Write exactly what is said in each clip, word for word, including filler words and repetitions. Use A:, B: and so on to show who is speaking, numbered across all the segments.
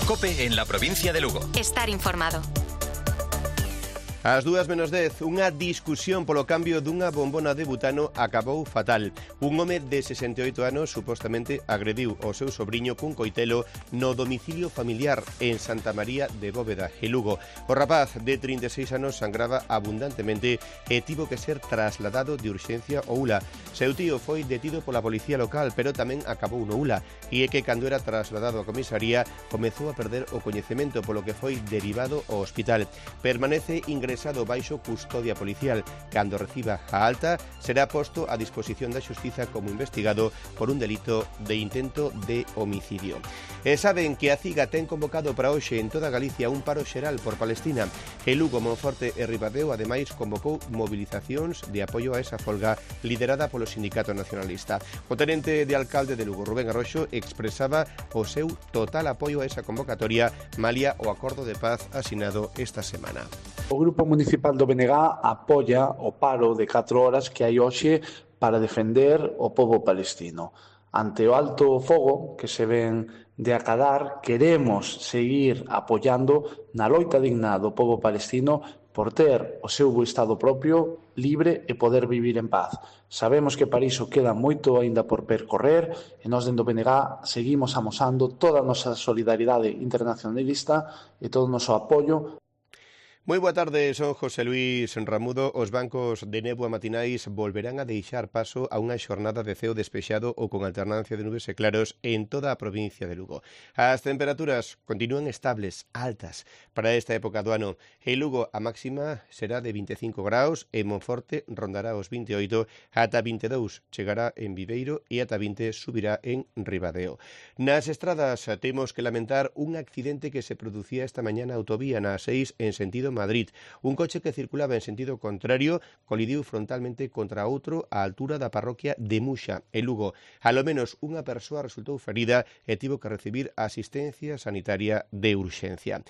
A: COPE en la provincia de Lugo.
B: Estar informado.
C: Ás dúas menos dez, unha discusión polo cambio dunha bombona de butano acabou fatal. Un home de sesenta e oito anos supostamente agrediu o seu sobriño cun coitelo no domicilio familiar en Santa María de Bóveda, en Lugo. O rapaz de trinta e seis anos sangraba abundantemente e tivo que ser trasladado de urxencia ao U L A. Seu tío foi detido pola policía local, pero tamén acabou no U L A. E é que cando era trasladado á comisaría comezou a perder o coñecemento, polo que foi derivado ao hospital. Permanece ingresado baixo custodia policial. Cando reciba a alta, será posto a disposición da xustiza como investigado por un delito de intento de homicidio. E saben que a CIGA ten convocado para hoxe en toda Galicia un paro xeral por Palestina. E Lugo, Monforte e Ribadeo, ademais, convocou movilizacións de apoio a esa folga liderada polo Sindicato Nacionalista. O tenente de alcalde de Lugo, Rubén Arroxo, expresaba o seu total apoio a esa convocatoria malia o acordo de paz asinado esta semana.
D: O Grupo Municipal do B N G apoia o paro de catro horas que hai hoxe para defender o pobo palestino. Ante o alto fogo que se ven de acadar, queremos seguir apoiando na loita digna do pobo palestino por ter o seu Estado propio, libre e poder vivir en paz. Sabemos que para iso queda moito aínda por percorrer e nós dentro do B N G seguimos amosando toda a nosa solidaridade internacionalista e todo o noso apoio.
C: Moi boa tarde, son José Luís Ramudo. Os bancos de néboa matinais volverán a deixar paso a unha xornada de ceo despexado ou con alternancia de nubes e claros en toda a provincia de Lugo. As temperaturas continúan estables, altas, para esta época do ano. En Lugo a máxima será de vinte e cinco graus, en Monforte rondará os vinte e oito, ata vinte e dous chegará en Viveiro e ata vinte subirá en Ribadeo. Nas estradas temos que lamentar un accidente que se producía esta mañá na autovía na seis en sentido Madrid. Un coche que circulaba en sentido contrario colidiu frontalmente contra outro á altura da parroquia de Muxa, en Lugo. Alo menos unha persoa resultou ferida e tivo que recibir asistencia sanitaria de urxencia.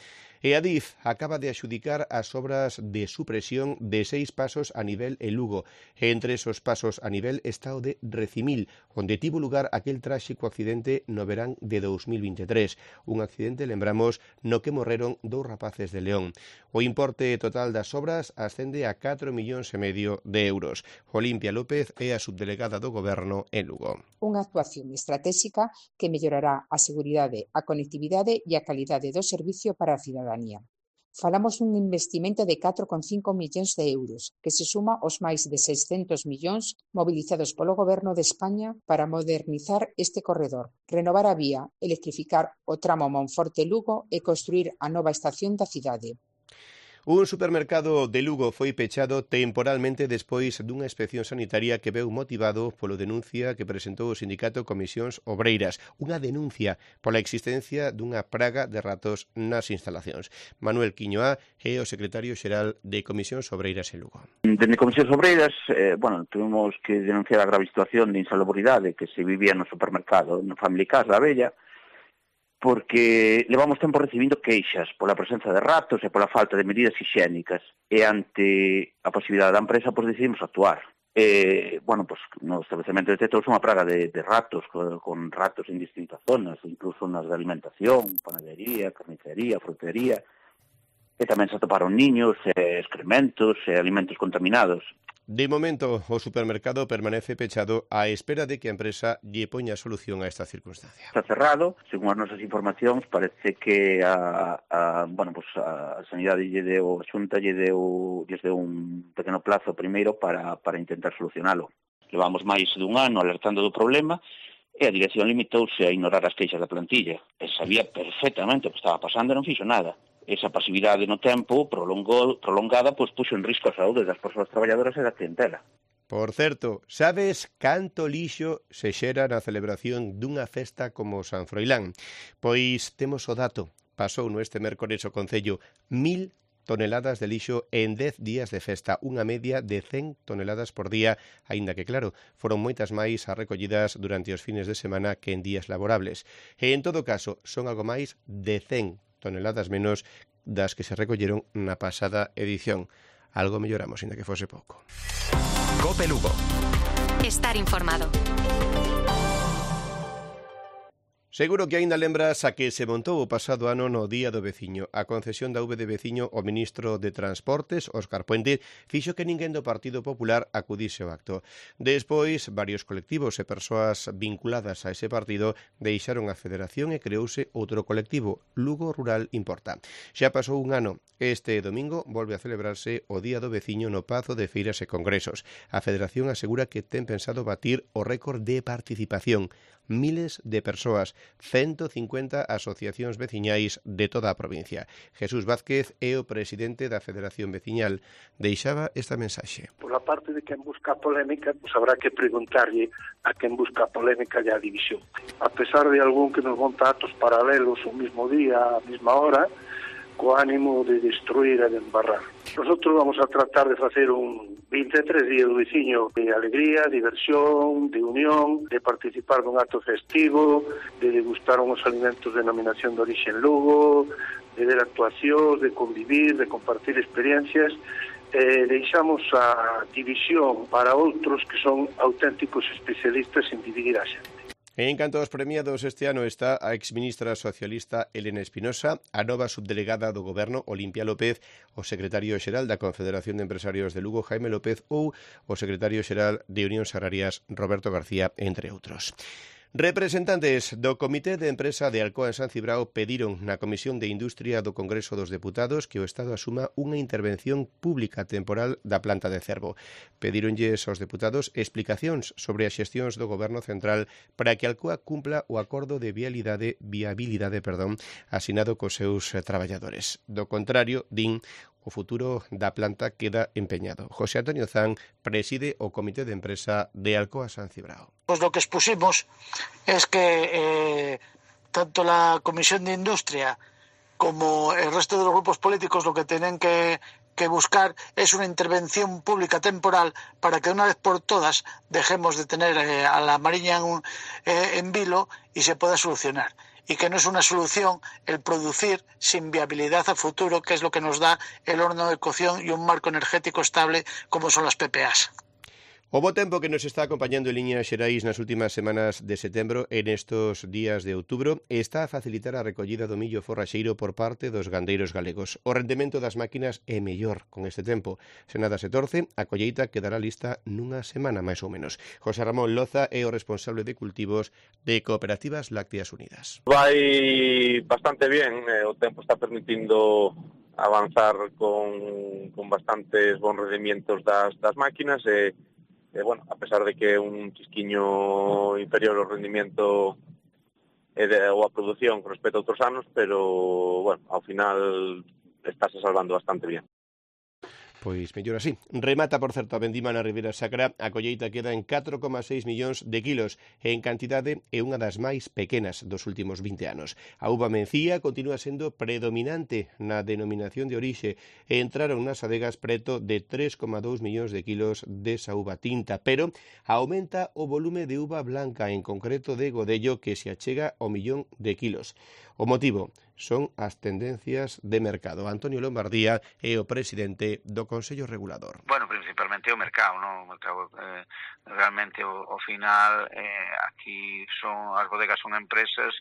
C: E Adif acaba de adxudicar as obras de supresión de seis pasos a nivel en Lugo. Entre esos pasos a nivel está o de Recimil, onde tivo lugar aquel tráxico accidente no verán de dous mil vinte e tres. Un accidente, lembramos, no que morreron dous rapaces de León. O importe total das obras ascende a catro millóns e medio de euros. Olimpia López é a subdelegada do Goberno en Lugo.
E: Unha actuación estratégica que mellorará a seguridade, a conectividade e a calidade do servicio para a cidadanía. Falamos dun investimento de catro coma cinco millóns de euros, que se suma aos máis de seiscentos millóns mobilizados polo Goberno de España para modernizar este corredor, renovar a vía, electrificar o tramo Monforte-Lugo e construir a nova estación da cidade.
C: Un supermercado de Lugo foi pechado temporalmente despois dunha inspección sanitaria que veu motivado polo denuncia que presentou o sindicato Comisións Obreiras, unha denuncia pola existencia dunha praga de ratos nas instalacións. Manuel Quiñoá é o secretario xeral de Comisións Obreiras en Lugo.
F: Dende Comisións Obreiras, eh, bueno, tuvimos que denunciar a grave situación de insalubridade que se vivía no supermercado, no Family Cas da Bella, porque levamos tempo recibindo queixas pola presenza de ratos e pola falta de medidas higiénicas. E ante a posibilidade da empresa, pois decidimos actuar. E, bueno, pois no establecemento detectouse unha praga de, de ratos, con, con ratos en distintas zonas, incluso nas de alimentación, panadería, carnicería, frutería, e tamén se atoparon niños, e excrementos e alimentos contaminados.
C: De momento, o supermercado permanece pechado á espera de que a empresa lle poña solución a esta circunstancia.
F: Está cerrado, según as nosas informacións, parece que a, a, bueno, pues a Sanidade lle deu, a Xunta lle deu, lle deu un pequeno plazo primeiro para, para intentar solucionalo. Levamos máis dun ano alertando do problema e a dirección limitouse a ignorar as queixas da plantilla. E sabía perfectamente o que estaba pasando e non fixo nada. Esa pasividade no tempo prolongou, prolongada pois puxo en risco a saúde das persoas traballadoras e da clientela.
C: Por certo, sabes canto lixo se xera na celebración dunha festa como San Froilán? Pois temos o dato. Pasou no este mércores o Concello mil toneladas de lixo en dez días de festa, unha media de cen toneladas por día, aínda que, claro, foron moitas máis as recollidas durante os fines de semana que en días laborables. E, en todo caso, son algo máis de cen toneladas menos das que se recolleron na pasada edición. Algo melloramos, ainda que fose pouco.
A: COPE Lugo.
B: Estar informado.
C: Seguro que aínda lembras a que se montou o pasado ano no Día do Veciño. A concesión da V de Veciño ao ministro de Transportes, Óscar Puente, fixo que ninguén do Partido Popular acudise ao acto. Despois, varios colectivos e persoas vinculadas a ese partido deixaron a federación e creouse outro colectivo, Lugo Rural Importa. Xa pasou un ano. Este domingo volve a celebrarse o Día do Veciño no Pazo de Feiras e Congresos. A federación asegura que ten pensado batir o récord de participación. Miles de persoas, ciento cincuenta asociacións veciñais de toda a provincia. Jesús Vázquez é o presidente da Federación Veciñal. Deixaba esta mensaxe.
B: Por a parte de quen busca polémica, pues habrá que preguntarlle a quen busca polémica e a división. A pesar de algún que nos monta actos paralelos o mismo día, a mesma hora, co ánimo de destruir e de embarrar. Nosotros vamos a tratar de facer un vinte e tres días do veciño de alegría, diversión, de unión, de participar dun acto festivo, de degustar uns alimentos de denominación de orixe en Lugo, de ver actuacións, de convivir, de compartir experiencias. Eh, deixamos a división para outros que son auténticos especialistas en dividir a xente.
C: En canto aos premiados este ano está a exministra socialista Elena Espinosa, a nova subdelegada do Goberno Olimpia López, o secretario xeral da Confederación de Empresarios de Lugo Jaime López ou o secretario xeral de Unións Agrarias Roberto García, entre outros. Representantes do Comité de Empresa de Alcoa en San Cibrao pediron na Comisión de Industria do Congreso dos Deputados que o Estado asuma unha intervención pública temporal da planta de Cervo. Pedíronlles aos deputados explicacións sobre as xestións do Goberno Central para que Alcoa cumpla o acordo de viabilidade, viabilidade perdón, asinado cos seus traballadores. Do contrario, din, o futuro da planta queda empeñado. José Antonio Zan preside o Comité de Empresa de Alcoa San Cibrao.
G: Pues lo que expusimos es que eh, tanto la Comisión de Industria como el resto de los grupos políticos lo que tienen que, que buscar es una intervención pública temporal para que una vez por todas dejemos de tener eh, a la Mariña en, eh, en vilo y se pueda solucionar. Y que no es una solución el producir sin viabilidad a futuro, que es lo que nos da el horno de cocción y un marco energético estable como son las P P As.
C: O bo tempo que nos está acompañando en liñas xerais nas últimas semanas de setembro e nestos días de outubro está a facilitar a recollida do millo forraxeiro por parte dos gandeiros galegos. O rendemento das máquinas é mellor con este tempo. Se nada se torce, a colleita quedará lista nunha semana máis ou menos. José Ramón Loza é o responsable de cultivos de Cooperativas Lácteas Unidas.
H: Vai bastante bien, eh, o tempo está permitindo avanzar con, con bastantes bons rendimientos das, das máquinas e Eh, bueno, a pesar de que é un chisquiño inferior ao rendimiento e de, ou a produción con respecto a outros anos, pero, bueno, ao final estáse salvando bastante bien.
C: Pois mellor así. Remata, por certo, a vendima na Ribeira Sacra. A colleita queda en catro coma seis millóns de kilos e en cantidade é unha das máis pequenas dos últimos vinte anos. A uva mencía continúa sendo predominante na denominación de orixe e entraron nas adegas preto de tres coma dous millóns de kilos desa uva tinta, pero aumenta o volume de uva blanca, en concreto de Godello, que se achega ao millón de kilos. O motivo son as tendencias de mercado. Antonio Lombardía é o presidente do Consello Regulador.
I: Bueno, principalmente o mercado, non? O mercado, eh, realmente o, o final eh, aquí son as bodegas son empresas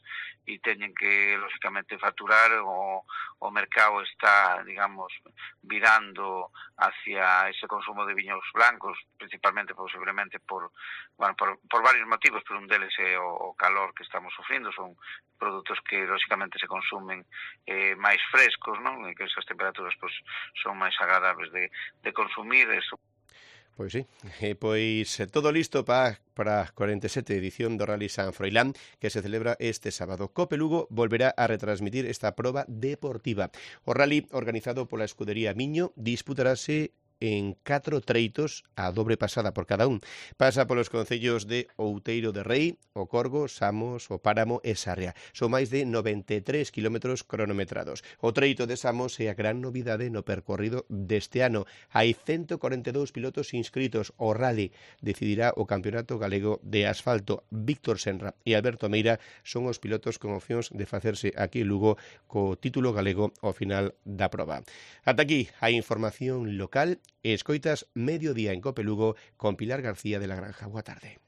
I: e teñen que lógicamente facturar, o, o mercado está, digamos, virando hacia ese consumo de viños blancos, principalmente posiblemente por, bueno, por, por varios motivos, pero un deles é o, o calor que estamos sufrindo, son produtos que lógicamente se consumen eh, máis frescos, non? E que esas temperaturas pues, son máis agradables de, de consumir. Eso.
C: Pois sí, e pois todo listo para para a cuarenta e sete edición do Rally San Froilán, que se celebra este sábado. Cope Lugo volverá a retransmitir esta proba deportiva. O rally, organizado pola escudería Miño, disputarase en catro treitos a dobre pasada por cada un. Pasa polos concellos de Outeiro de Rei, O Corgo, Samos, O Páramo e Sarria. Son máis de noventa e tres kilómetros cronometrados. O treito de Samos é a gran novidade no percorrido deste ano. Hai ciento corenta e dous pilotos inscritos. O rally decidirá o Campeonato Galego de Asfalto. Víctor Senra e Alberto Meira son os pilotos con opcións de facerse aquí en Lugo co título galego ao final da proba. Ata aquí a información local. Escoitas Mediodía en Cope Lugo con Pilar García de la Granja. Boa tarde.